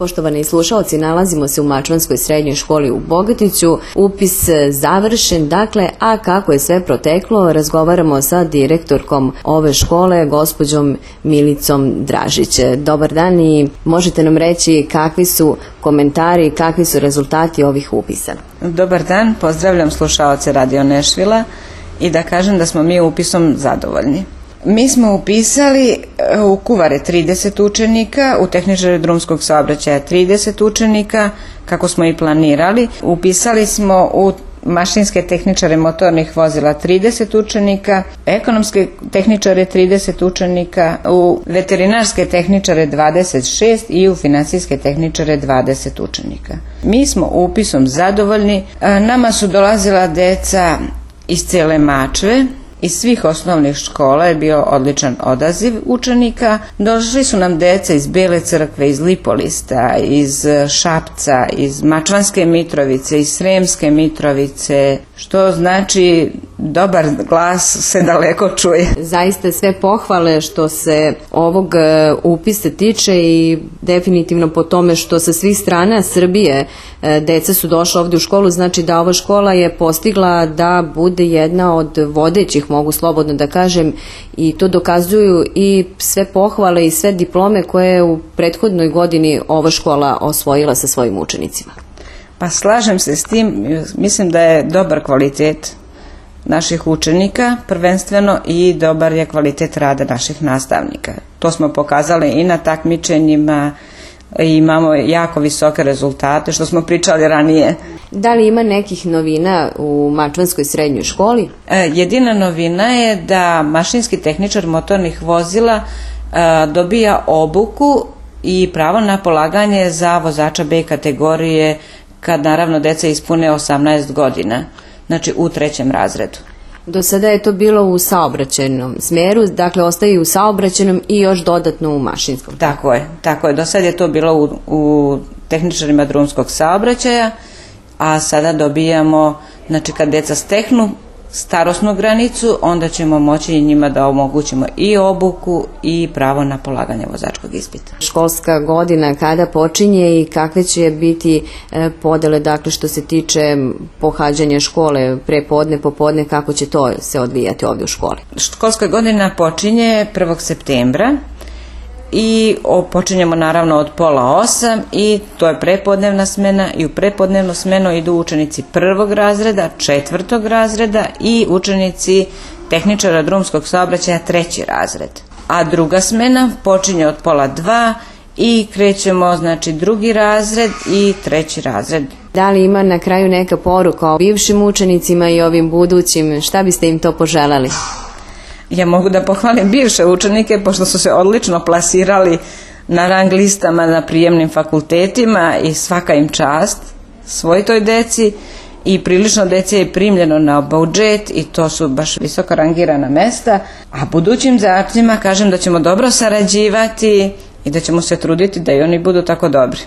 Poštovani slušaoci, nalazimo se u Mačvanskoj srednjoj školi u Bogatiću. Upis završen, a kako je sve proteklo, razgovaramo sa direktorkom ove škole, gospođom Milicom Dražić. Dobar dan i možete nam reći kakvi su komentari, kakvi su rezultati ovih upisa? Dobar dan, pozdravljam slušaoce Radio Nešvila i da kažem da smo mi upisom zadovoljni. Mi smo upisali u Kuvare 30 učenika, u tehničare drumskog saobraćaja 30 učenika, kako smo i planirali. Upisali smo u mašinske tehničare motornih vozila 30 učenika, ekonomske tehničare 30 učenika, u veterinarske tehničare 26 i u finansijske tehničare 20 učenika. Mi smo upisom zadovoljni. Nama su dolazila deca iz cele Mačve. Iz svih osnovnih škola je bio odličan odaziv učenika. Došli su nam deca iz Bele Crkve, iz Lipolista, iz Šapca, iz Mačvanske Mitrovice, iz Sremske Mitrovice, što znači dobar glas se daleko čuje. Zaista sve pohvale što se ovog upisa tiče i definitivno po tome što sa svih strana Srbije deca su došla ovdje u školu, znači da ova škola je postigla da bude jedna od vodećih, mogu slobodno da kažem, i to dokazuju i sve pohvale i sve diplome koje je u prethodnoj godini ova škola osvojila sa svojim učenicima. Pa slažem se s tim, mislim da je dobar kvalitet naših učenika prvenstveno i dobar je kvalitet rada naših nastavnika. To smo pokazali i na takmičenjima i imamo jako visoke rezultate, što smo pričali ranije. Da li ima nekih novina u Mačvanskoj srednjoj školi? Jedina novina je da mašinski tehničar motornih vozila dobija obuku i pravo na polaganje za vozača B kategorije kad naravno deca ispune 18 godina, znači u 3. razredu. Do sada je to bilo u saobraćajnom smjeru, dakle ostaje u saobraćajnom i još dodatno u mašinskom. Tako je. Do sada je to bilo u tehničarima drumskog saobraćaja, a sada dobijamo, znači kad deca steknu starosnu granicu, onda ćemo moći i njima da omogućimo i obuku i pravo na polaganje vozačkog ispita. Školska godina kada počinje i kakve će biti podele, dakle što se tiče pohađanja škole, prepodne, popodne, kako će to se odvijati ovdje u školi? Školska godina počinje 1. septembra i počinjemo naravno od 7:30 i to je prepodnevna smena i u prepodnevnu smenu idu učenici 1. razreda, 4. razreda i učenici tehničara drumskog saobraćaja 3. razred. A druga smena počinje od 1:30 i krećemo znači 2. razred i 3. razred. Da li ima na kraju neka poruka o bivšim učenicima i ovim budućim, šta biste im to poželali? Ja mogu da pohvalim bivše učenike pošto su se odlično plasirali na rang listama na prijemnim fakultetima i svaka im čast svoj toj deci i prilično dece je primljeno na budžet i to su baš visoko rangirana mesta, a budućim đacima kažem da ćemo dobro sarađivati i da ćemo se truditi da i oni budu tako dobri.